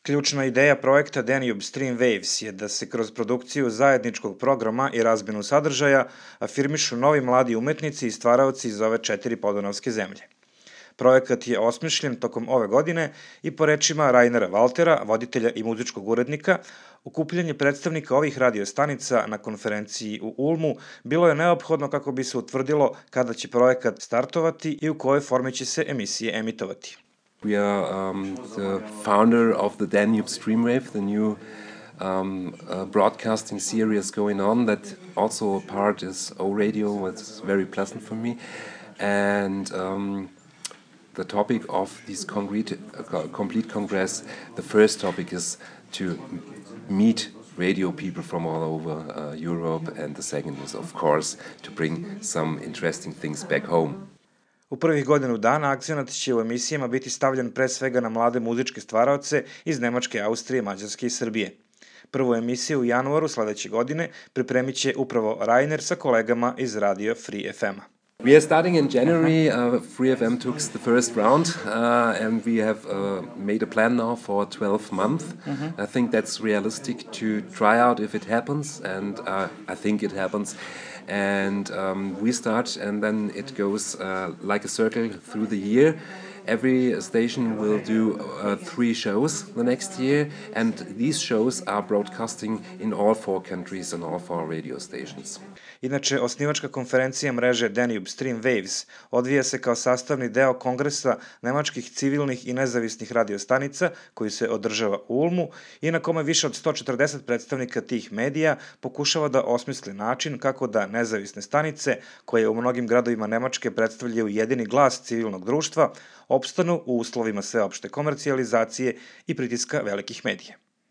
Ključna ideja projekta Danube Stream Waves je da se kroz produkciju zajedničkog programa i razmenu sadržaja afirmišu novi mladi umetnici i stvaraoci iz ove 4 podunavske zemlje. Projekat je osmišljen tokom ove godine i po rečima Rainera Valtera, voditelja i muzičkog urednika, okupljanje predstavnika ovih radiostanica na konferenciji u Ulmu bilo je neophodno kako bi se utvrdilo kada će projekat startovati i u kojoj formi će se emisije emitovati. We are the founder of the Danube Streamwave, the new broadcasting series going on. That also a part is O Radio. It's very pleasant for me, and the topic of this complete congress. The first topic is to meet radio people from all over Europe, and the second is, of course, to bring some interesting things back home. U prvih godinu dana akcenat će u emisijama biti stavljen pre svega na mlade muzičke stvaraoce iz Nemačke, Austrije, Mađarske i Srbije. Prvu emisiju u januaru sledeće godine pripremit će upravo Rainer sa kolegama iz Radio Free FM-a. We are starting in January. Free FM took the first round, and we have made a plan now for 12 months. I think that's realistic to try out if it happens, and I think it happens. And we start, and then it goes like a circle through the year. Every station will do 3 shows the next year, and these shows are broadcasting in all 4 countries and all 4 radio stations. Inače, osnivačka konferencija mreže Danube Stream Waves odvija se kao sastavni deo kongresa nemačkih civilnih i nezavisnih radiostanica koji se održava u Ulmu i na kome više od 140 predstavnika tih medija pokušava da osmisli način kako da nezavisne stanice, koje u mnogim gradovima Nemačke predstavljaju jedini glas civilnog društva, opstanu u uslovima sveopšte komercijalizacije i pritiska velikih medija.